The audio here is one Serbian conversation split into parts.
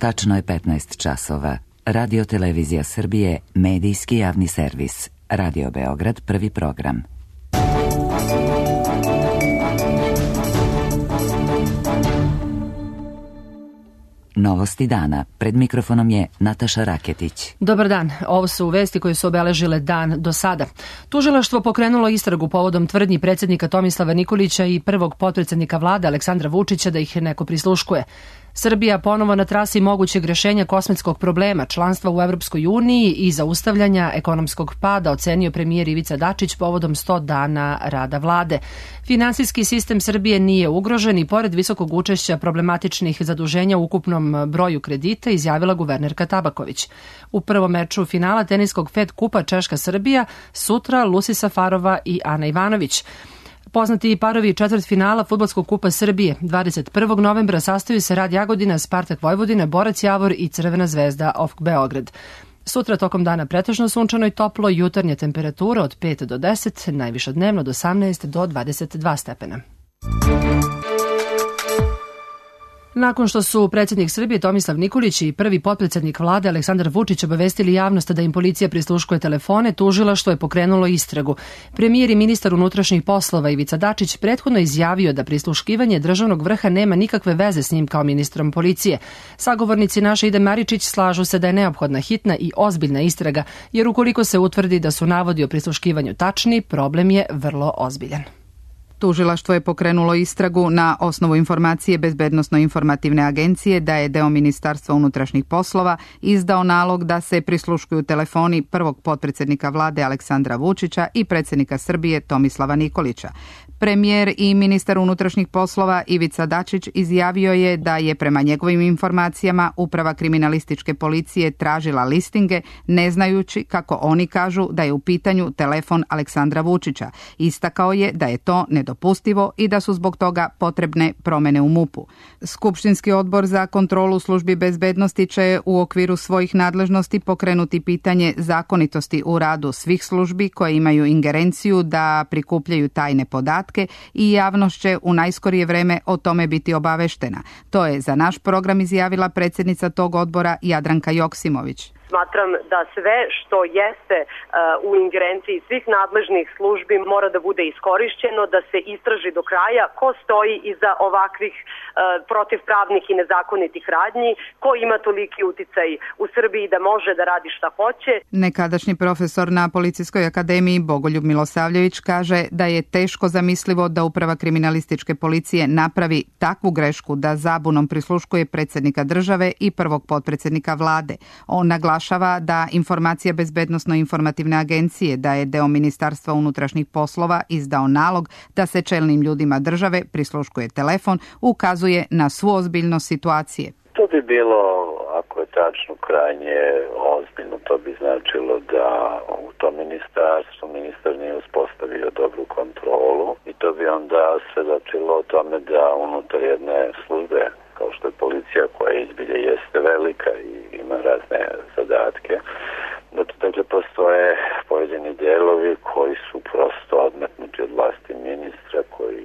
Tačno je 15 časova. Radio Televizija Srbije, medijski javni servis. Radio Beograd, prvi program. Novosti dana. Pred mikrofonom je Nataša Raketić. Dobar dan. Ovo su vesti koje su obeležile dan do sada. Tužilaštvo pokrenulo istragu povodom tvrdnji predsjednika Tomislava Nikolića i prvog potpredsjednika vlade Aleksandra Vučića da ih neko prisluškuje. Srbija ponovo na trasi mogućeg rješenja kosmetskog problema, članstva u Evropskoj uniji i zaustavljanja ekonomskog pada, ocenio premijer Ivica Dačić povodom 100 dana rada vlade. Finansijski sistem Srbije nije ugrožen i pored visokog učešća problematičnih zaduženja u ukupnom broju kredita, izjavila guvernerka Tabaković. U prvom meču finala teniskog Fed kupa Češka-Srbija sutra Lucy Safarova i Ana Ivanović. Poznati parovi četvrtfinala Fudbalskog kupa Srbije 21. novembra sastaju se Rad Jagodina, Spartak Vojvodina, Borac Javor i Crvena zvezda OFK Beograd. Sutra tokom dana pretežno sunčano i toplo, jutarnja temperatura od 5 do 10, najviša dnevno od 18 do 22 stepena. Nakon što su predsjednik Srbije Tomislav Nikolić i prvi potpredsjednik vlade Aleksandar Vučić obavestili javnost da im policija prisluškuje telefone, tužilaštvo je pokrenulo istragu. Premijer i ministar unutrašnjih poslova Ivica Dačić prethodno izjavio da prisluškivanje državnog vrha nema nikakve veze s njim kao ministrom policije. Sagovornici naše Ide Maričić slažu se da je neophodna hitna i ozbiljna istraga, jer ukoliko se utvrdi da su navodi o prisluškivanju tačni, problem je vrlo ozbiljan. Tužilaštvo je pokrenulo istragu na osnovu informacije Bezbednosno-informativne agencije da je deo Ministarstva unutrašnjih poslova izdao nalog da se prisluškuju telefoni prvog potpredsjednika vlade Aleksandra Vučića i predsjednika Srbije Tomislava Nikolića. Premijer i ministar unutrašnjih poslova Ivica Dačić izjavio je da je prema njegovim informacijama Uprava kriminalističke policije tražila listinge, ne znajući, kako oni kažu, da je u pitanju telefon Aleksandra Vučića. Istakao je da je to nedopustivo i da su zbog toga potrebne promjene u MUP-u. Skupštinski odbor za kontrolu službi bezbednosti će u okviru svojih nadležnosti pokrenuti pitanje zakonitosti u radu svih službi koje imaju ingerenciju da prikupljaju tajne podatke i javnost će u najskorije vreme o tome biti obaveštena. To je za naš program izjavila predsjednica tog odbora Jadranka Joksimović. Smatram da sve što jeste u ingerenciji svih nadležnih službi mora da bude iskorišćeno, da se istraži do kraja ko stoji iza ovakvih protivpravnih i nezakonitih radnji, ko ima toliki uticaj u Srbiji da može da radi šta hoće. Nekadašnji profesor na Policijskoj akademiji Bogoljub Milosavljević kaže da je teško zamislivo da Uprava kriminalističke policije napravi takvu grešku da zabunom prisluškuje predsjednika države i prvog potpredsjednika vlade. On naglašava da informacija Bezbednosno-informativne agencije da je deo Ministarstva unutrašnjih poslova izdao nalog da se čelnim ljudima države prisluškuje telefon, ukazuje na svu ozbiljnost situacije. To bi bilo, ako je tačno, krajnje ozbiljno. To bi značilo da u tom ministarstvu ministar nije uspostavio dobru kontrolu i to bi onda svedočilo o tome da unutar jedne službe kao što je policija, koja izbilje jeste velika i ima razne zadatke, da to dakle postoje pojedini delovi koji su prosto odmetnuti od vlasti ministra, koji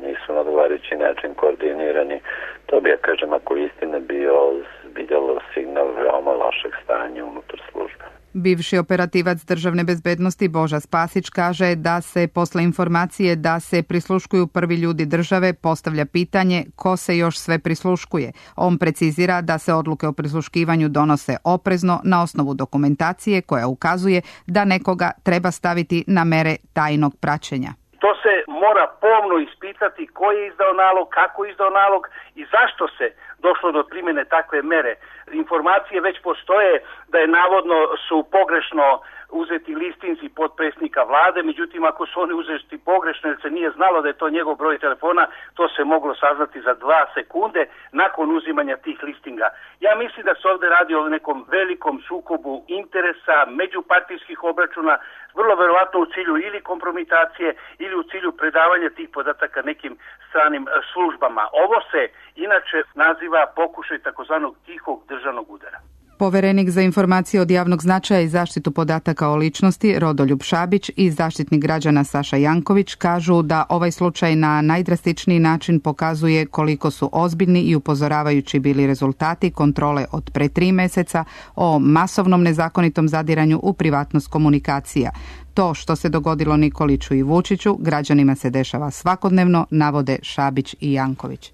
nisu na odgovarajući način koordinirani. To bi, ja kažem, ako istina bio vidjelo signal veoma lošeg stanja unutar službe. Bivši operativac državne bezbednosti Boža Spasić kaže da se posle informacije da se prisluškuju prvi ljudi države postavlja pitanje ko se još sve prisluškuje. On precizira da se odluke o prisluškivanju donose oprezno na osnovu dokumentacije koja ukazuje da nekoga treba staviti na mere tajnog praćenja. To se mora pomno ispitati ko je izdao nalog, kako je izdao nalog i zašto se došlo do primjene takve mere. Informacije već postoje da je navodno su pogrešno uzeti listinci potpredsjednika vlade, međutim ako su oni uzeti pogrešno jer se nije znalo da je to njegov broj telefona, to se moglo saznati za 2 sekunde nakon uzimanja tih listinga. Ja mislim da se ovdje radi o nekom velikom sukobu interesa, međupartijskih obračuna, vrlo verovatno u cilju ili kompromitacije ili u cilju predavanja tih podataka nekim stranim službama. Ovo se inače naziva pokušaj takozvanog tihog državnog udara. Poverenik za informacije od javnog značaja i zaštitu podataka o ličnosti Rodoljub Šabić i zaštitnik građana Saša Janković kažu da ovaj slučaj na najdrastičniji način pokazuje koliko su ozbiljni i upozoravajući bili rezultati kontrole od pre 3 meseca o masovnom nezakonitom zadiranju u privatnost komunikacija. To što se dogodilo Nikoliću i Vučiću građanima se dešava svakodnevno, navode Šabić i Janković.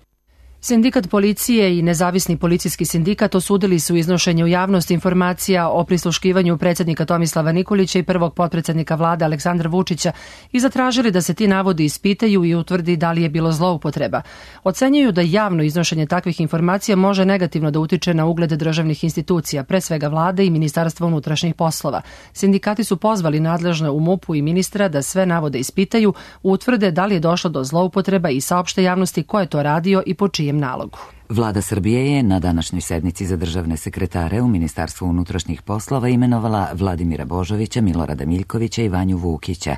Sindikat policije i nezavisni policijski sindikat osudili su iznošenje u javnost informacija o prisluškivanju predsjednika Tomislava Nikolića i prvog potpredsjednika vlade Aleksandra Vučića i zatražili da se ti navodi ispitaju i utvrdi da li je bilo zloupotreba. Ocenjuju da javno iznošenje takvih informacija može negativno da utiče na ugled državnih institucija, pre svega vlade i Ministarstva unutrašnjih poslova. Sindikati su pozvali nadležne u MUP-u i ministra da sve navode ispitaju, utvrde da li je došlo do zloupotreba i saopšte javnosti ko je to radio i po čijem nalogu. Vlada Srbije je na današnjoj sednici za državne sekretare u Ministarstvu unutrašnjih poslova imenovala Vladimira Božovića, Milorada Miljkovića i Vanju Vukića.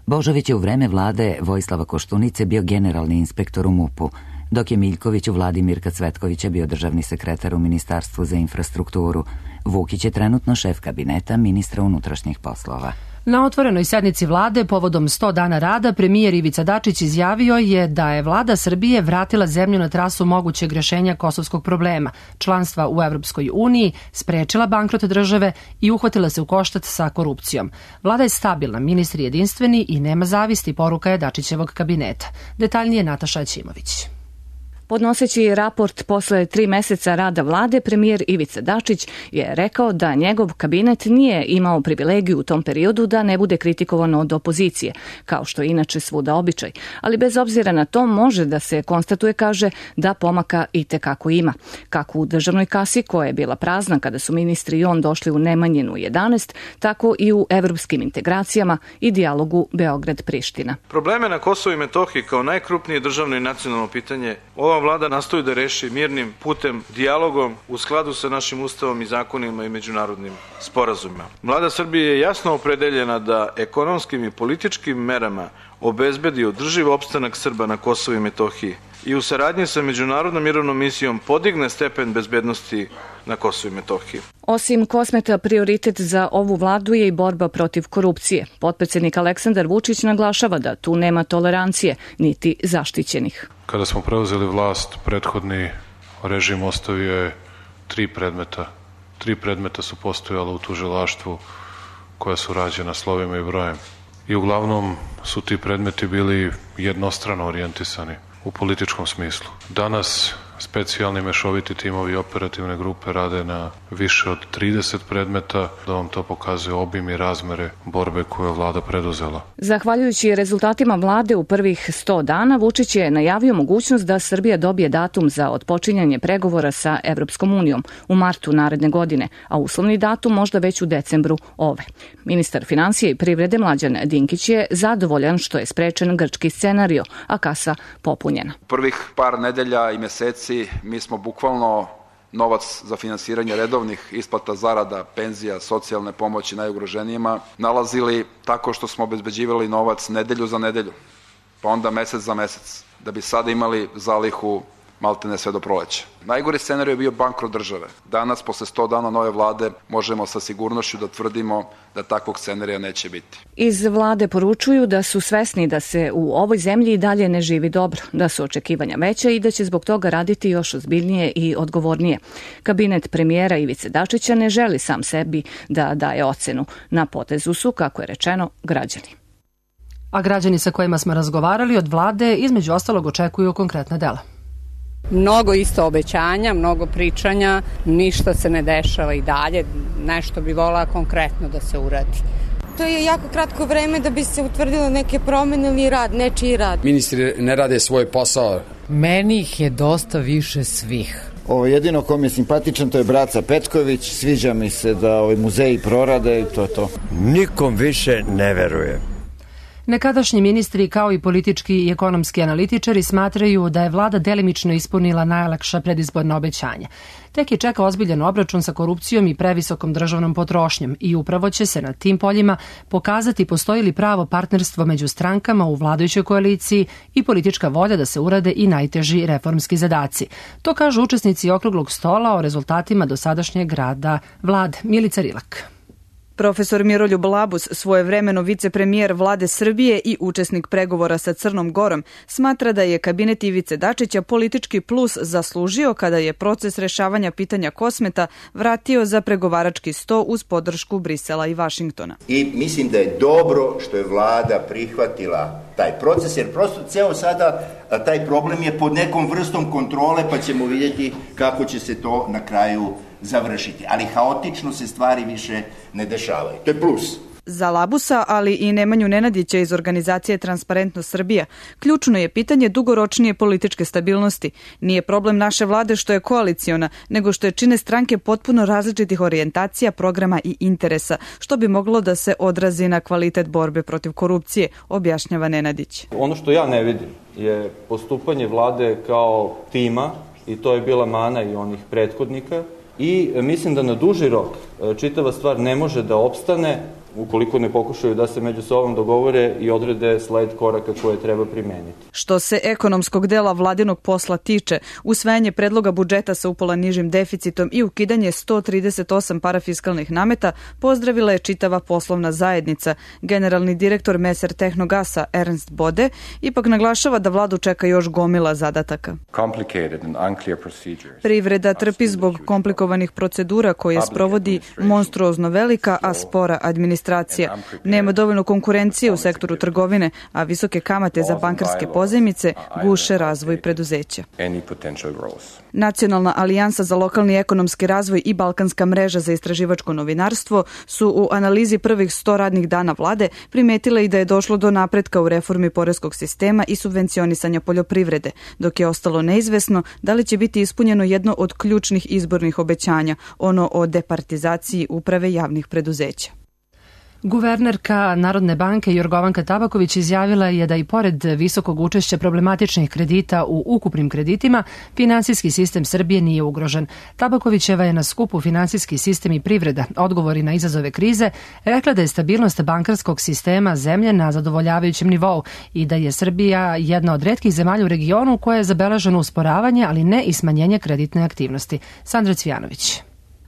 Božović je u vreme vlade Vojislava Koštunice bio generalni inspektor u MUP-u, dok je Miljković u vladi Mirka Cvetkovića bio državni sekretar u Ministarstvu za infrastrukturu. Vukić je trenutno šef kabineta ministra unutrašnjih poslova. Na otvorenoj sednici vlade povodom 100 dana rada premijer Ivica Dačić izjavio je da je vlada Srbije vratila zemlju na trasu mogućeg rješenja kosovskog problema, članstva u Evropskoj uniji, sprečila bankrot države i uhvatila se u koštac sa korupcijom. Vlada je stabilna, ministri jedinstveni i nema zavisti, poruka je Dačićevog kabineta. Detaljnije Nataša Ćimović. Podnoseći raport posle 3 meseca rada vlade, premijer Ivica Dačić je rekao da njegov kabinet nije imao privilegiju u tom periodu da ne bude kritikovan od opozicije, kao što je inače svuda običaj. Ali bez obzira na to može da se konstatuje, kaže, da pomaka i tekako ima. Kako u državnoj kasi, koja je bila prazna kada su ministri i on došli u Nemanjinu 11, tako i u evropskim integracijama i dijalogu Beograd-Priština. Probleme na Kosovu i Metohiji kao najkrupnije državno i nacionalno pitanje ova vlada nastoji da reši mirnim putem, dijalogom u skladu sa našim ustavom i zakonima i međunarodnim sporazumima. Vlada Srbije je jasno opredeljena da ekonomskim i političkim merama obezbedi održiv opstanak Srba na Kosovu i Metohiji i u saradnji sa međunarodnom mirovnom misijom podigne stepen bezbednosti na Kosovu i Metohiji. Osim kosmeta, prioritet za ovu vladu je i borba protiv korupcije. Potpredsjednik Aleksandar Vučić naglašava da tu nema tolerancije, niti zaštićenih. Kada smo preuzeli vlast, prethodni režim ostavio je 3 predmeta. 3 predmeta su postojala u tužilaštvu koja su rađena slovima i brojem. I uglavnom su ti predmeti bili jednostrano orijentisani u političkom smislu. Danas specijalni mešoviti timovi operativne grupe rade na više od 30 predmeta, da vam to pokazuje obim i razmere borbe koju je vlada preduzela. Zahvaljujući rezultatima vlade u prvih 100 dana, Vučić je najavio mogućnost da Srbija dobije datum za otpočinjanje pregovora sa Evropskom unijom u martu naredne godine, a uslovni datum možda već u decembru ove. Ministar finansije i privrede Mlađan Dinkić je zadovoljan što je sprečen grčki scenario, a kasa popunjena. Prvih par nedelja i meseci mi smo bukvalno novac za finansiranje redovnih isplata zarada, penzija, socijalne pomoći najugroženijima nalazili tako što smo obezbeđivali novac nedelju za nedelju, pa onda mesec za mesec, da bi sada imali zalihu maltene sve do proleća. Najgori scenarij je bio bankrot države. Danas, posle 100 dana nove vlade, možemo sa sigurnošću da tvrdimo da takvog scenarija neće biti. Iz vlade poručuju da su svesni da se u ovoj zemlji i dalje ne živi dobro, da su očekivanja veća i da će zbog toga raditi još ozbiljnije i odgovornije. Kabinet premijera Ivice Dačića ne želi sam sebi da daje ocenu. Na potezu su, kako je rečeno, građani. A građani sa kojima smo razgovarali od vlade između ostalog očekuju konkretna dela. Mnogo isto obećanja, mnogo pričanja, ništa se ne dešava i dalje, nešto bi volila konkretno da se uradi. To je jako kratko vreme da bi se utvrdilo neke promene ili rad, nečiji rad. Ministri ne rade svoj posao. Meni ih je dosta više svih. Jedino kom je simpatičan to je Braca Petković, sviđa mi se da muzeji prorade i to je to. Nikom više ne verujem. Nekadašnji ministri kao i politički i ekonomski analitičari smatraju da je vlada delimično ispunila najlakša predizborna obećanja. Tek je čeka ozbiljan obračun sa korupcijom i previsokom državnom potrošnjom i upravo će se na tim poljima pokazati postoji li pravo partnerstvo među strankama u vladajućoj koaliciji i politička volja da se urade i najteži reformski zadaci. To kažu učesnici okruglog stola o rezultatima dosadašnjeg rada vlade. Milica Rilak. Profesor Miroljub Labus, svojevremeno vicepremijer vlade Srbije i učesnik pregovora sa Crnom Gorom, smatra da je kabinet Ivice Dačića politički plus zaslužio kada je proces rešavanja pitanja Kosmeta vratio za pregovarački sto uz podršku Brisela i Vašingtona. I mislim da je dobro što je vlada prihvatila taj proces, jer prosto ceo sada taj problem je pod nekom vrstom kontrole, pa ćemo vidjeti kako će se to na kraju završiti. Ali haotično se stvari više ne dešavaju. To je plus. Za Labusa, ali i Nemanju Nenadića iz organizacije Transparentnost Srbija, ključno je pitanje dugoročnije političke stabilnosti. Nije problem naše vlade što je koaliciona, nego što je čine stranke potpuno različitih orijentacija, programa i interesa, što bi moglo da se odrazi na kvalitet borbe protiv korupcije, objašnjava Nenadić. Ono što ja ne vidim je postupanje vlade kao tima, i to je bila mana i onih prethodnika, i mislim da na duži rok čitava stvar ne može da opstane ukoliko ne pokušaju da se među sobom dogovore i odrede sled koraka koje treba primeniti. Što se ekonomskog dela vladinog posla tiče, usvajanje predloga budžeta sa upola nižim deficitom i ukidanje 138 parafiskalnih nameta pozdravila je čitava poslovna zajednica. Generalni direktor Meser Tehnogasa Ernst Bode ipak naglašava da vladu čeka još gomila zadataka. Privreda trpi zbog komplikovanih procedura koje sprovodi monstruozno velika, a spora administracija. Nema dovoljno konkurencije u sektoru trgovine, a visoke kamate za bankarske pozajmice guše razvoj preduzeća. Nacionalna alijansa za lokalni ekonomski razvoj i Balkanska mreža za istraživačko novinarstvo su u analizi prvih 100 radnih dana vlade primetile i da je došlo do napretka u reformi poreskog sistema i subvencionisanja poljoprivrede, dok je ostalo neizvesno da li će biti ispunjeno jedno od ključnih izbornih obećanja, ono o departizaciji uprave javnih preduzeća. Guvernerka Narodne banke Jorgovanka Tabaković izjavila je da i pored visokog učešća problematičnih kredita u ukupnim kreditima, finansijski sistem Srbije nije ugrožen. Tabakovićeva je na skupu Finansijski sistem i privreda, odgovori na izazove krize, rekla da je stabilnost bankarskog sistema zemlje na zadovoljavajućem nivou i da je Srbija jedna od retkih zemalja u regionu koja je zabeleženo usporavanje, ali ne i smanjenje kreditne aktivnosti. Sandra Cvijanović.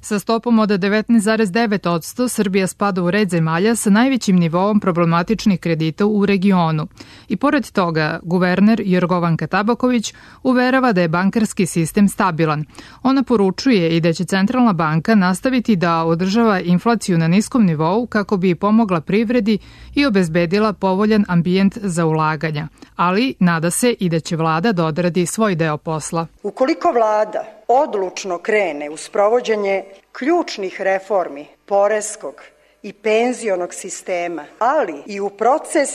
Sa stopom od 19,9% Srbija spada u red zemalja sa najvećim nivoom problematičnih kredita u regionu. I pored toga, guverner Jorgovanka Tabaković uverava da je bankarski sistem stabilan. Ona poručuje i da će Centralna banka nastaviti da održava inflaciju na niskom nivou kako bi pomogla privredi i obezbedila povoljan ambijent za ulaganja. Ali nada se i da će vlada da odradi svoj deo posla. Ukoliko vlada odlučno krene u sprovođenje ključnih reformi poreskog i penzionog sistema, ali i u proces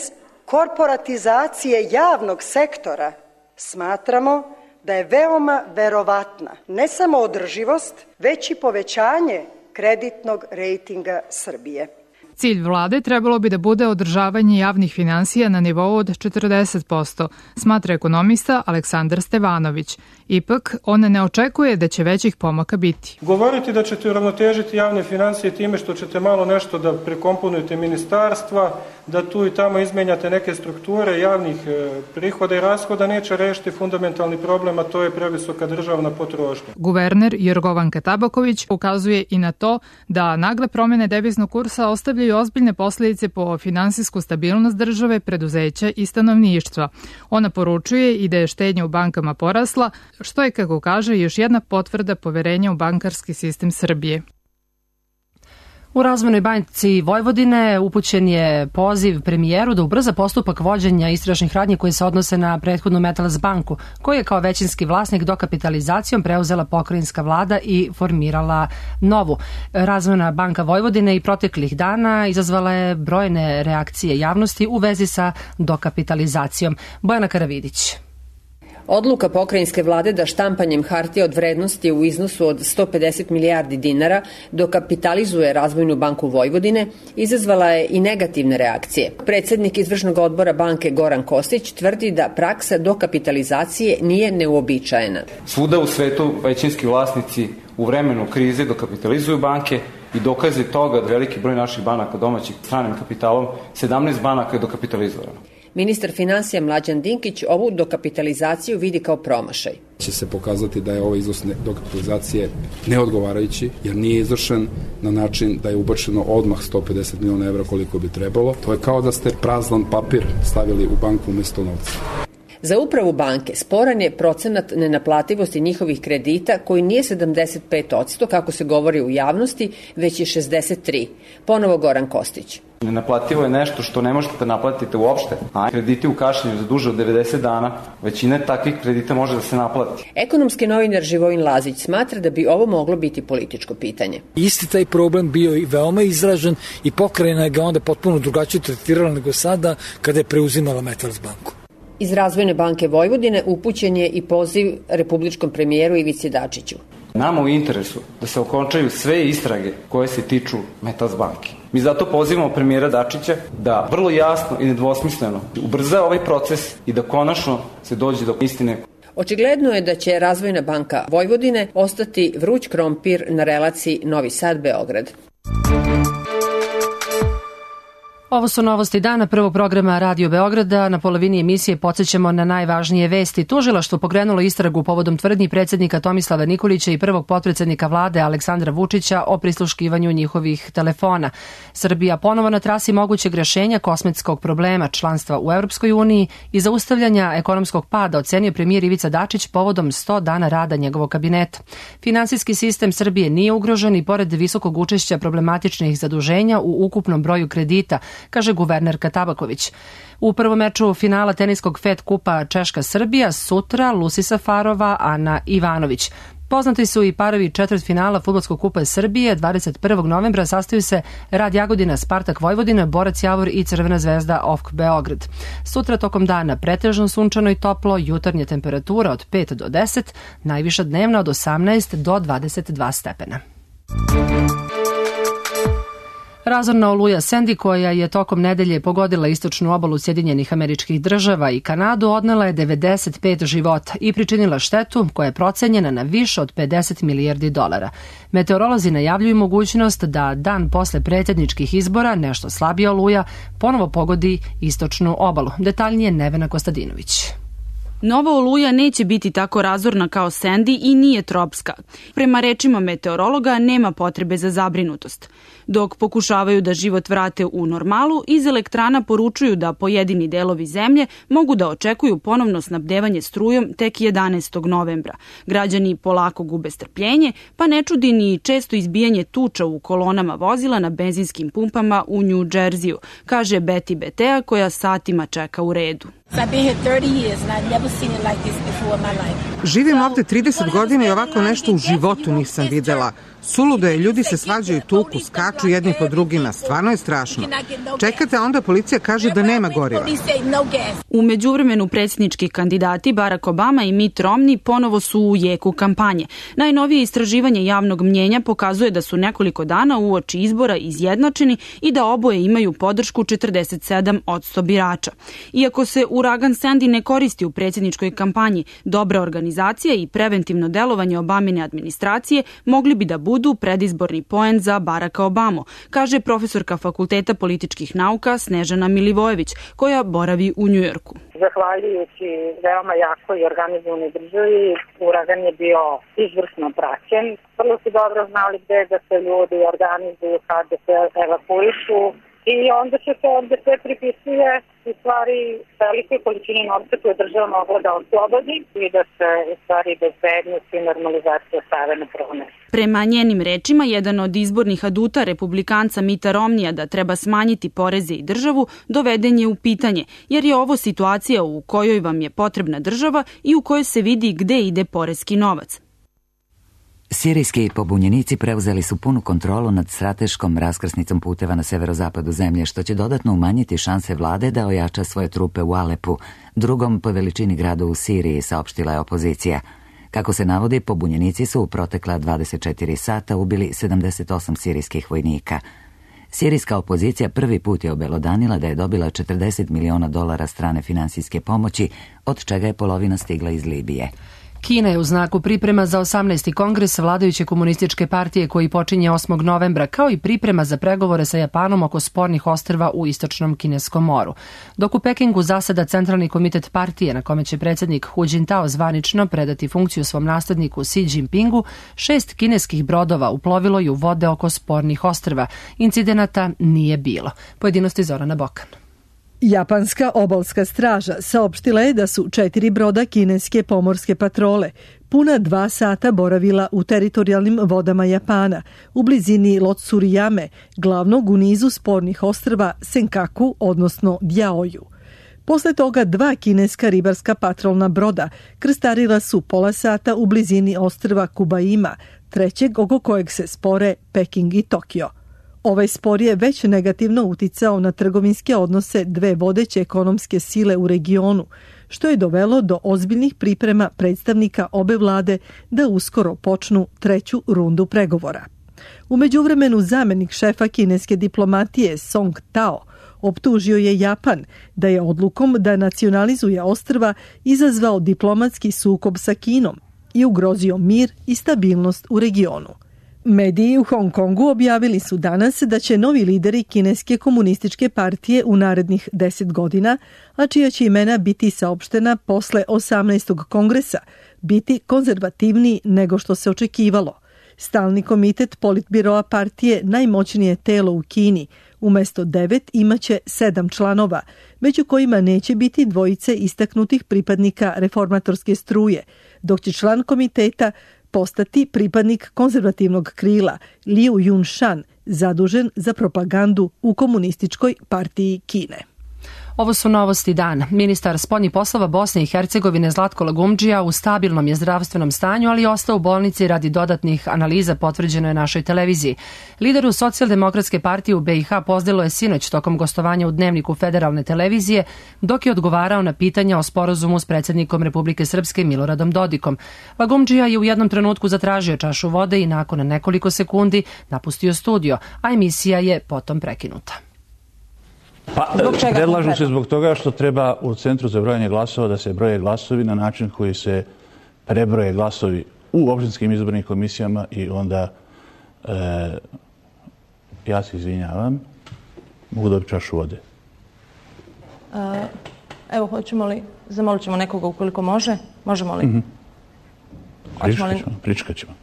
korporatizacije javnog sektora, smatramo da je veoma verovatna ne samo održivost, već i povećanje kreditnog rejtinga Srbije. Cilj vlade trebalo bi da bude održavanje javnih finansija na nivou od 40%, smatra ekonomista Aleksandar Stevanović. Ipak, on ne očekuje da će većih pomaka biti. Govoriti da ćete uravnotežiti javne finansije time što ćete malo nešto da prekomponujete ministarstva, da tu i tamo izmenjate neke strukture javnih prihoda i rashoda, neće rešiti fundamentalni problem, a to je previsoka državna potrošnja. Guverner Jorgovanka Tabaković ukazuje i na to da nagle promene deviznog kursa ostavljaju ozbiljne posljedice po finansijsku stabilnost države, preduzeća i stanovništva. Ona poručuje i da je štednja u bankama porasla, što je, kako kaže, još jedna potvrda poverenja u bankarski sistem Srbije. U Razvojnoj banci Vojvodine upućen je poziv premijeru da ubrza postupak vođenja istražnih radnji koje se odnose na prethodnu Metals banku, koju je kao većinski vlasnik dokapitalizacijom preuzela pokrajinska vlada i formirala novu. Razvojna banka Vojvodine i proteklih dana izazvala je brojne reakcije javnosti u vezi sa dokapitalizacijom. Bojana Karavidić. Odluka pokrajinske vlade da štampanjem hartija od vrednosti u iznosu od 150 milijardi dinara dokapitalizuje Razvojnu banku Vojvodine izazvala je i negativne reakcije. Predsednik izvršnog odbora banke Goran Kostić tvrdi da praksa dokapitalizacije nije neuobičajena. Svuda u svetu većinski vlasnici u vremenu krize dokapitalizuju banke i dokaze toga da veliki broj naših banaka domaćih stranim kapitalom, 17 banaka je dokapitalizovano. Ministar finansija Mlađan Dinkić ovu dokapitalizaciju vidi kao promašaj. Će se pokazati da je ovaj iznos dokapitalizacije neodgovarajući, jer nije izvršen na način da je ubačeno odmah 150 miliona evra koliko bi trebalo. To je kao da ste prazan papir stavili u banku umesto novca. Za upravu banke sporan je procenat nenaplativosti njihovih kredita koji nije 75%, kako se govori u javnosti, već je 63%. Ponovo Goran Kostić. Nenaplativo je nešto što ne možete da naplatite uopšte, a krediti u kašnjenju za duže od 90 dana, većina takvih kredita može da se naplati. Ekonomski novinar Živojin Lazić smatra da bi ovo moglo biti političko pitanje. Isti taj problem bio i veoma izražen i pokrajina ga onda potpuno drugačije tretirala nego sada kada je preuzimala Metals banku. Iz Razvojne banke Vojvodine upućen je i poziv republičkom premijeru Ivici Dačiću. Nama u interesu da se okončaju sve istrage koje se tiču Metals banke. Mi zato pozivamo premijera Dačića da vrlo jasno i nedvosmisleno ubrza ovaj proces i da konačno se dođe do istine. Očigledno je da će Razvojna banka Vojvodine ostati vruć krompir na relaciji Novi Sad-Beograd. Ovo su novosti dana prvog programa Radio Beograda. Na polovini emisije podsjećamo na najvažnije vesti. Tužilaštvo pokrenulo istragu povodom tvrdnji predsjednika Tomislava Nikolića i prvog potpredsjednika vlade Aleksandra Vučića o prisluškivanju njihovih telefona. Srbija ponovo na trasi mogućeg rešenja kosmetskog problema članstva u Europskoj uniji i zaustavljanja ekonomskog pada, ocenio premijer Ivica Dačić povodom 100 dana rada njegovog kabineta. Finansijski sistem Srbije nije ugrožen i pored visokog učešća problematičnih zaduženja u ukupnom broju kredita, kaže guvernerka Tabaković. U prvom meču finala teniskog FED kupa Češka-Srbija sutra Lusi Safarova, Ana Ivanović. Poznati su i parovi četvrtfinala Fudbalskog kupa Srbije. 21. novembra sastaju se Rad Jagodina, Spartak Vojvodina, Borac Javor i Crvena zvezda OFK Beograd. Sutra tokom dana pretežno sunčano i toplo, jutarnja temperatura od 5 do 10, najviša dnevna od 18 do 22 stepena. Razorna oluja Sandy, koja je tokom nedelje pogodila istočnu obalu Sjedinjenih Američkih Država i Kanadu, odnela je 95 života i pričinila štetu koja je procenjena na više od 50 milijardi dolara. Meteorolozi najavljuju mogućnost da dan posle predsjedničkih izbora nešto slabija oluja ponovo pogodi istočnu obalu. Detaljnije Nevena Kostadinović. Nova oluja neće biti tako razorna kao Sandy i nije tropska. Prema rečima meteorologa nema potrebe za zabrinutost. Dok pokušavaju da život vrate u normalu, iz elektrana poručuju da pojedini delovi zemlje mogu da očekuju ponovno snabdevanje strujom tek 11. novembra. Građani polako gube strpljenje, pa ne čudi ni često izbijanje tuča u kolonama vozila na benzinskim pumpama u New Jersey-u, kaže Betty Betea koja satima čeka u redu. Živim ovde 30 godina i ovako nešto u životu nisam videla. Suludo je, ljudi se svađaju, tuku, skaču jedni po drugima, stvarno je strašno. Čekate, a onda policija kaže da nema goriva. U međuvremenu predsjednički kandidati Barack Obama i Mitt Romney ponovo su u jeku kampanje. Najnovije istraživanje javnog mnjenja pokazuje da su nekoliko dana uoči izbora izjednačeni i da oboje imaju podršku 47% birača. Iako se uragan Sandy ne koristi u predsjedničkoj kampanji, dobra organizacija i preventivno delovanje Obamine administracije mogli bi da budu predizborni poen za Baracka Obamu, kaže profesorka Fakulteta političkih nauka Snežana Milivojević, koja boravi u Njujorku. Zahvaljujući veoma jakoj i organizovanoj državi, uragan je bio izvrsno praćen. Vrlo su dobro znali gde da se ljudi organizuju, kada se evakuišu i onda se to ovde sve pripisuje u stvari velikoj količini novca koje država mogla da oslobodi i da se u stvari bezbednost i normalizacija stave na prvo mesto. Prema njenim rečima, jedan od izbornih aduta republikanca Mitta Romneya da treba smanjiti poreze i državu doveden je u pitanje, jer je ovo situacija u kojoj vam je potrebna država i u kojoj se vidi gde ide poreski novac. Sirijski pobunjenici preuzeli su punu kontrolu nad strateškom raskrsnicom puteva na severozapadu zemlje, što će dodatno umanjiti šanse vlade da ojača svoje trupe u Alepu, drugom po veličini gradu u Siriji, saopštila je opozicija. Kako se navodi, pobunjenici su u protekla 24 sata ubili 78 sirijskih vojnika. Sirijska opozicija prvi put je obelodanila da je dobila $40 miliona strane finansijske pomoći, od čega je polovina stigla iz Libije. Kina je u znaku priprema za 18. kongres vladajuće komunističke partije koji počinje 8. novembra, kao i priprema za pregovore sa Japanom oko spornih ostrva u istočnom Kineskom moru. Dok u Pekingu zaseda centralni komitet partije na kome će predsjednik Hu Jintao zvanično predati funkciju svom nasledniku Xi Jinpingu, 6 kineskih brodova uplovilo je u vode oko spornih ostrva. Incidenata nije bilo. Pojedinosti Zorana Bokan. Japanska obalska straža saopštila je da su 4 broda kineske pomorske patrole puna 2 sata boravila u teritorijalnim vodama Japana, u blizini Lotsuriyame, glavnog u nizu spornih ostrva Senkaku, odnosno Diaoju. Posle toga 2 kineska ribarska patrolna broda krstarila su pola sata u blizini ostrva Kubaima, trećeg oko kojeg se spore Peking i Tokio. Ovaj spor je već negativno uticao na trgovinske odnose dve vodeće ekonomske sile u regionu, što je dovelo do ozbiljnih priprema predstavnika obe vlade da uskoro počnu treću rundu pregovora. U međuvremenu zamenik šefa kineske diplomatije Song Tao optužio je Japan da je odlukom da nacionalizuje ostrva izazvao diplomatski sukob sa Kinom i ugrozio mir i stabilnost u regionu. Mediji u Hong Kongu objavili su danas da će novi lideri kineske komunističke partije u narednih 10 godina, a čija će imena biti saopštena posle 18. kongresa, biti konzervativniji nego što se očekivalo. Stalni komitet politbiroa partije, najmoćnije telo u Kini, umesto 9 imaće 7 članova, među kojima neće biti dvojice istaknutih pripadnika reformatorske struje, dok će član komiteta postati pripadnik konzervativnog krila Liu Yunshan, zadužen za propagandu u komunističkoj partiji Kine. Ovo su novosti dana. Ministar spoljnih poslova Bosne i Hercegovine Zlatko Lagumdžija u stabilnom je zdravstvenom stanju, ali ostao u bolnici radi dodatnih analiza, potvrđeno je našoj televiziji. Lideru Socijaldemokratske partije u BiH pozdelo je sinoć tokom gostovanja u Dnevniku federalne televizije, dok je odgovarao na pitanja o sporazumu s predsjednikom Republike Srpske Miloradom Dodikom. Lagumdžija je u jednom trenutku zatražio čašu vode i nakon nekoliko sekundi napustio studio, a emisija je potom prekinuta. Pa, predlažu se zbog toga što treba u Centru za brojanje glasova da se broje glasovi na način koji se prebroje glasovi u opštinskim izbornim komisijama i onda ja se izvinjavam, mogu dobiti čašu vode. Evo, hoćemo li, zamolit ćemo nekoga ukoliko može, možemo li? Pričekat ćemo.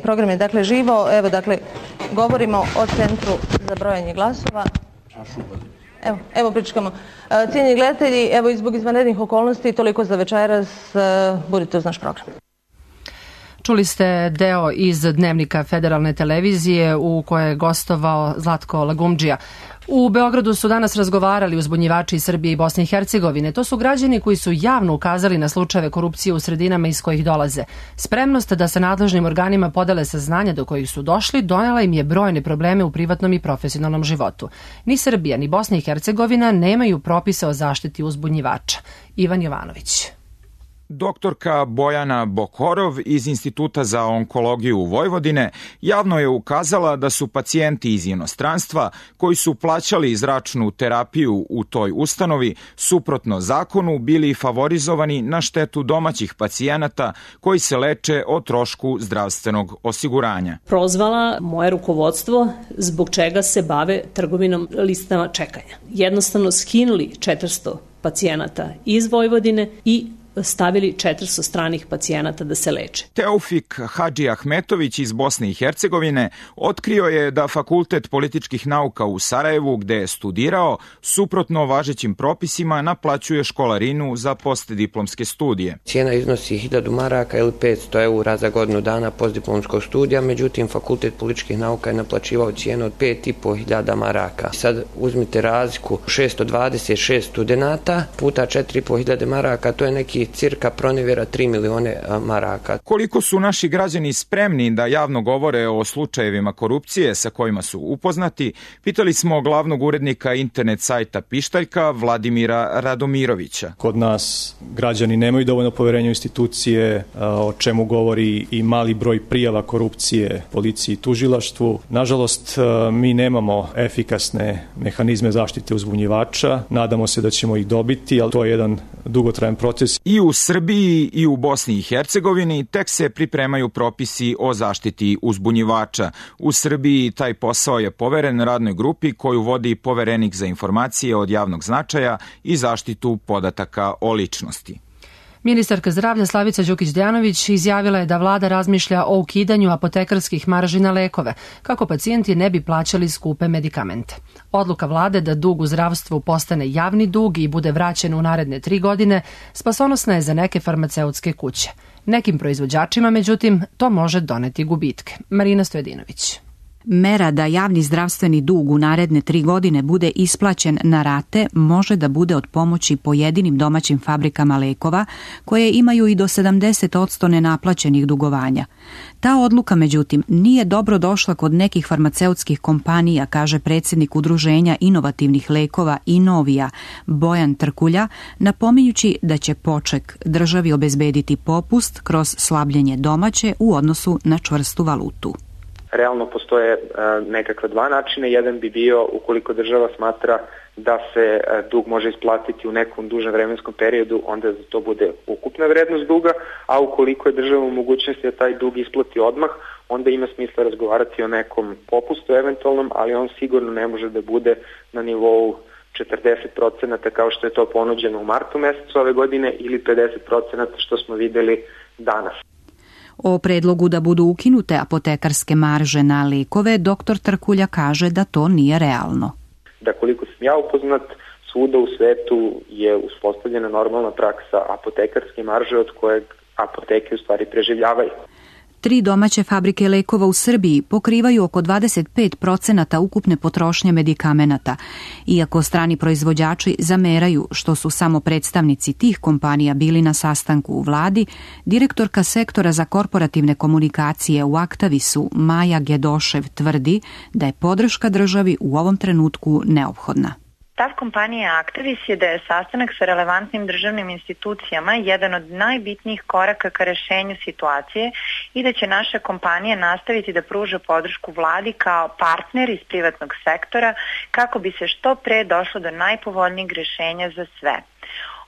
Program je dakle živo, evo dakle govorimo o Centru za brojanje glasova. Evo pričekamo. Cijenjeni gledatelji, evo i zbog izvanrednih okolnosti toliko za večeras, budite uz naš program. Čuli ste deo iz Dnevnika federalne televizije u kojoj je gostovao Zlatko Lagumdžija. U Beogradu su danas razgovarali uzbunjivači iz Srbije i Bosne i Hercegovine. To su građani koji su javno ukazali na slučajeve korupcije u sredinama iz kojih dolaze. Spremnost da sa nadležnim organima podele saznanja do kojih su došli donela im je brojne probleme u privatnom i profesionalnom životu. Ni Srbija ni Bosna i Hercegovina nemaju propise o zaštiti uzbunjivača. Ivan Jovanović. Doktorka Bojana Bokorov iz Instituta za onkologiju Vojvodine javno je ukazala da su pacijenti iz inostranstva koji su plaćali zračnu terapiju u toj ustanovi suprotno zakonu bili favorizovani na štetu domaćih pacijenata koji se leče o trošku zdravstvenog osiguranja. Prozvala moje rukovodstvo zbog čega se bave trgovinom listama čekanja. Jednostavno skinuli 400 pacijenata iz Vojvodine i stavili 400 stranih pacijenata da se leče. Teofik Hadži Ahmetović iz Bosne i Hercegovine otkrio je da Fakultet političkih nauka u Sarajevu, gde je studirao, suprotno važećim propisima naplaćuje školarinu za postdiplomske studije. Cijena iznosi 1000 maraka ili 500 eura za godinu dana postdiplomskog studija, međutim Fakultet političkih nauka je naplaćivao cijenu od 5500 maraka. Sad uzmite razliku 626 studenata puta 4500 maraka, to je neki cirka pronevjera 3 milione maraka. Koliko su naši građani spremni da javno govore o slučajevima korupcije sa kojima su upoznati, pitali smo glavnog urednika internet sajta Pištaljka Vladimira Radomirovića. Kod nas građani nemaju dovoljno poverenja u institucije, o čemu govori i mali broj prijava korupcije policiji i tužilaštvu. Nažalost, mi nemamo efikasne mehanizme zaštite uzbunjivača. Nadamo se da ćemo ih dobiti, ali to je jedan dugotrajan proces. I u Srbiji i u Bosni i Hercegovini tek se pripremaju propisi o zaštiti uzbunjivača. U Srbiji taj posao je poveren radnoj grupi koju vodi poverenik za informacije od javnog značaja i zaštitu podataka o ličnosti. Ministarka zdravlja Slavica Đukić-Dejanović izjavila je da vlada razmišlja o ukidanju apotekarskih marži na lekove, kako pacijenti ne bi plaćali skupe medikamente. Odluka vlade da dug u zdravstvu postane javni dug i bude vraćen u naredne 3 godine spasonosna je za neke farmaceutske kuće. Nekim proizvođačima, međutim, to može doneti gubitke. Marina Stojedinović. Mera da javni zdravstveni dug u naredne 3 godine bude isplaćen na rate može da bude od pomoći pojedinim domaćim fabrikama lekova koje imaju i do 70% nenaplaćenih dugovanja. Ta odluka, međutim, nije dobro došla kod nekih farmaceutskih kompanija, kaže predsjednik Udruženja inovativnih lekova Inovija Bojan Trkulja, napominjući da će poček državi obezbediti popust kroz slabljenje domaće u odnosu na čvrstu valutu. Realno postoje nekakva 2 načina. Jedan bi bio ukoliko država smatra da se dug može isplatiti u nekom dužem vremenskom periodu, onda za to bude ukupna vrednost duga, a ukoliko je država u mogućnosti da taj dug isplati odmah, onda ima smisla razgovarati o nekom popustu eventualnom, ali on sigurno ne može da bude na nivou 40% kao što je to ponuđeno u martu mesecu ove godine ili 50% što smo videli danas. O predlogu da budu ukinute apotekarske marže na lekove, dr. Trkulja kaže da to nije realno. Da koliko sam ja upoznat, svuda u svetu je uspostavljena normalna praksa apotekarske marže od kojeg apoteke u stvari preživljavaju. 3 domaće fabrike lekova u Srbiji pokrivaju oko 25% ukupne potrošnje medikamenata. Iako strani proizvođači zameraju što su samo predstavnici tih kompanija bili na sastanku u vladi, direktorka sektora za korporativne komunikacije u Aktavisu Maja Gedošev tvrdi da je podrška državi u ovom trenutku neophodna. Stav kompanije Aktavis je da je sastanak sa relevantnim državnim institucijama jedan od najbitnijih koraka ka rešenju situacije i da će naša kompanija nastaviti da pruža podršku vladi kao partner iz privatnog sektora kako bi se što pre došlo do najpovoljnijeg rešenja za sve.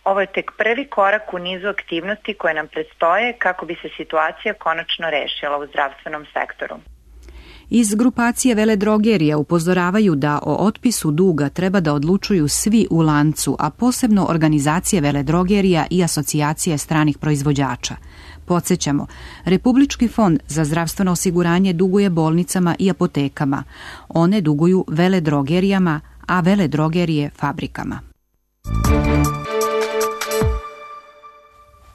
Ovo je tek prvi korak u nizu aktivnosti koje nam predstoje kako bi se situacija konačno rešila u zdravstvenom sektoru. Iz grupacije veledrogerija upozoravaju da o otpisu duga treba da odlučuju svi u lancu, a posebno organizacije veledrogerija i asocijacije stranih proizvođača. Podsjećamo, Republički fond za zdravstveno osiguranje duguje bolnicama i apotekama. One duguju veledrogerijama, a veledrogerije fabrikama.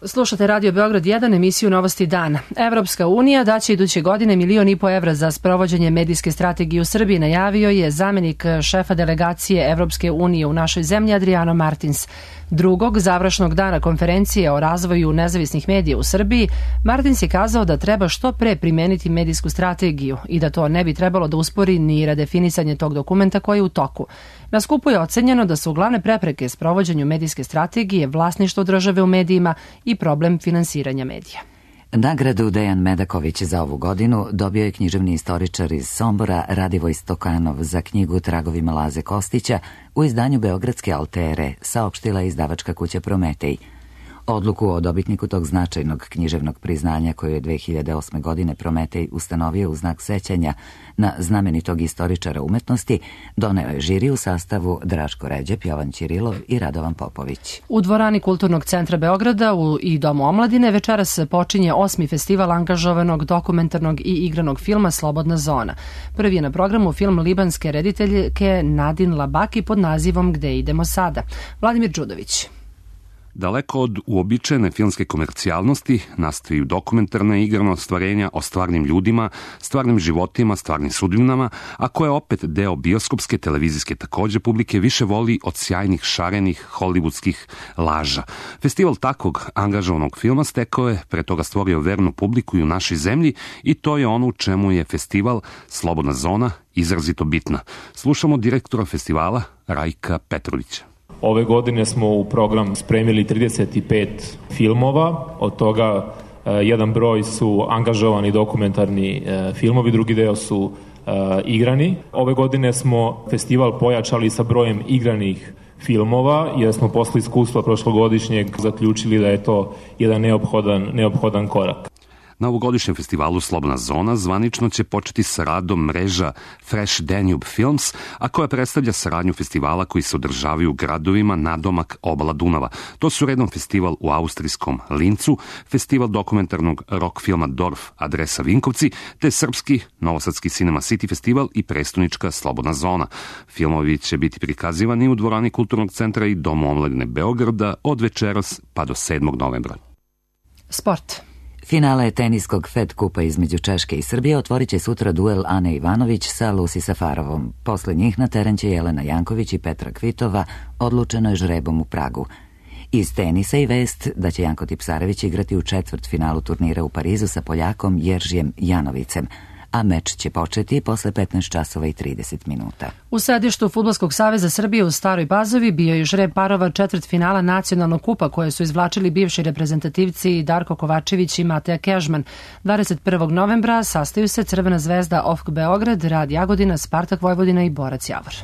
Slušate Radio Beograd 1, emisiju Novosti dana. Evropska unija daće iduće godine 1,5 miliona za sprovođenje medijske strategije u Srbiji, najavio je zamenik šefa delegacije Evropske unije u našoj zemlji Adriano Martins. Drugog završnog dana konferencije o razvoju nezavisnih medija u Srbiji, Martins je kazao da treba što pre primeniti medijsku strategiju i da to ne bi trebalo da uspori ni redefinisanje tog dokumenta koji je u toku. Na skupu je ocenjeno da su glavne prepreke sprovođenju medijske strategije vlasništvo države u medijima i problem finansiranja medija. Nagradu Dejan Medaković za ovu godinu dobio je književni istoričar iz Sombora Radivoj Stokanov za knjigu Tragovima Laze Kostića u izdanju Beogradske Altere, saopštila izdavačka kuća Prometej. Odluku o dobitniku tog značajnog književnog priznanja koju je 2008. godine Prometej ustanovio u znak sećanja na znamenitog istoričara umetnosti, doneo je žiri u sastavu Draško Ređep, Jovan Ćirilov i Radovan Popović. U dvorani Kulturnog centra Beograda i Domu omladine večeras počinje 8. festival angažovanog dokumentarnog i igranog filma Slobodna zona. Prvi je na programu film libanske rediteljke Nadin Labaki pod nazivom Gde idemo sada? Vladimir Đudović. Daleko od uobičajene filmske komercijalnosti nastaju dokumentarna igrana ostvarenja o stvarnim ljudima, stvarnim životima, stvarnim sudbinama, a koje opet deo bioskopske, televizijske takođe publike više voli od sjajnih, šarenih, hollywoodskih laža. Festival takvog angažovanog filma stekao je, pre toga stvorio vernu publiku i u našoj zemlji i to je ono u čemu je festival Slobodna zona izrazito bitna. Slušamo direktora festivala Rajka Petrovića. Ove godine smo u program spremili 35 filmova, od toga jedan broj su angažovani dokumentarni filmovi, drugi deo su igrani. Ove godine smo festival pojačali sa brojem igranih filmova, jer smo posle iskustva prošlogodišnjeg zaključili da je to jedan neophodan korak. Na ovogodišnjem festivalu Slobodna zona zvanično će početi sa radom mreža Fresh Danube Films, a koja predstavlja saradnju festivala koji se održavaju u gradovima nadomak obala Dunava. To su redom festival u austrijskom Lincu, festival dokumentarnog rock filma Dorf adresa Vinkovci, te srpski novosadski Cinema City festival i prestonička Slobodna zona. Filmovi će biti prikazivani u dvorani Kulturnog centra i Domu omladine Beograda od večeras pa do 7. novembra. Sport. Finale teniskog Fed kupa između Češke i Srbije otvorit će sutra duel Ane Ivanović sa Lucy Safarovom. Posle njih na teren će Jelena Janković i Petra Kvitova, odlučeno je žrebom u Pragu. Iz tenisa i vest da će Janko Tipsarević igrati u četvrtfinalu turnira u Parizu sa Poljakom Jeržijem Janovicem, a meč će početi posle 15 časova i 30 minuta. U sedištu Fudbalskog saveza Srbije u Staroj Pazovi bio je žreb parova četvrtfinala nacionalnog kupa koje su izvlačili bivši reprezentativci Darko Kovačević i Mateja Kežman. 21. novembra sastaju se Crvena zvezda OFK Beograd, Rad Jagodina, Spartak Vojvodina i Borac Javor.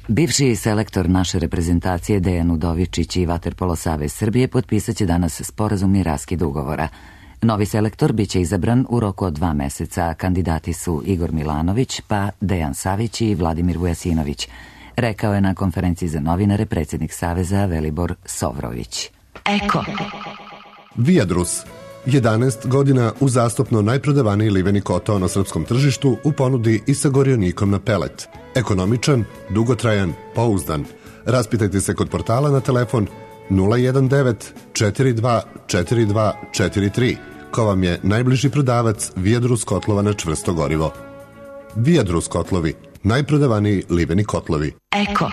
Bivši selektor naše reprezentacije Dejan Udovičić i Vaterpolo savez Srbije potpisat će danas sporazumni raskid ugovora. Novi selektor biće izabran u roku od 2 meseca. Kandidati su Igor Milanović, pa Dejan Savić i Vladimir Vujasinović, rekao je na konferenciji za novinare predsjednik Saveza Velibor Sovrović. Eko. Viadrus. 11 godina uzastopno najprodavaniji liveni kotao na srpskom tržištu u ponudi i sa gorionikom na pelet. Ekonomičan, dugotrajan, pouzdan. Raspitajte se kod portala na telefon 019 42 42 43. Ko vam je najbliži prodavac Viadrus kotlova na čvrsto gorivo. Viadrus kotlovi, najprodavaniji liveni kotlovi. Eko.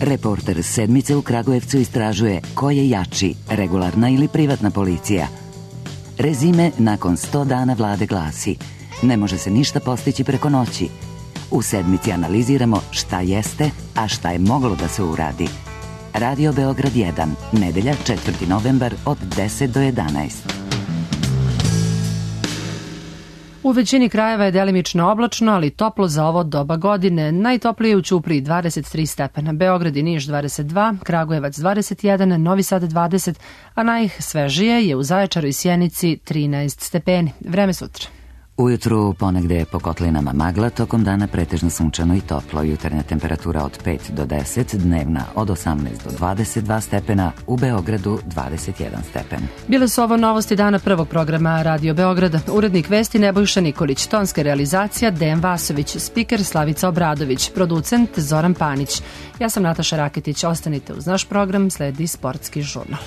Reporter Sedmice u Kragujevcu istražuje ko je jači, regularna ili privatna policija. Rezime nakon 100 dana vlade glasi: ne može se ništa postići preko noći. U Sedmici analiziramo šta jeste, a šta je moglo da se uradi. Radio Beograd 1, nedelja 4. novembar od 10 do 11. U većini krajeva je delimično oblačno, ali toplo za ovo doba godine. Najtoplije u Ćupriji 23 stepena, Beograd i Niš 22, Kragujevac 21, Novi Sad 20, a najsvežije je u Zaječaru i Sjenici 13 stepeni. Vreme sutra. Ujutru ponegde po kotlinama magla, tokom dana pretežno sunčano i toplo. Jutarnja temperatura od 5 do 10, dnevna od 18 do 22 stepena, u Beogradu 21 stepen. Bile su ovo novosti dana prvog programa Radio Beograda. Urednik vesti Nebojša Nikolić, tonska realizacija Dejan Vasović, spiker Slavica Obradović, producent Zoran Panić. Ja sam Nataša Raketić, ostanite uz naš program, sledi Sportski žurnal.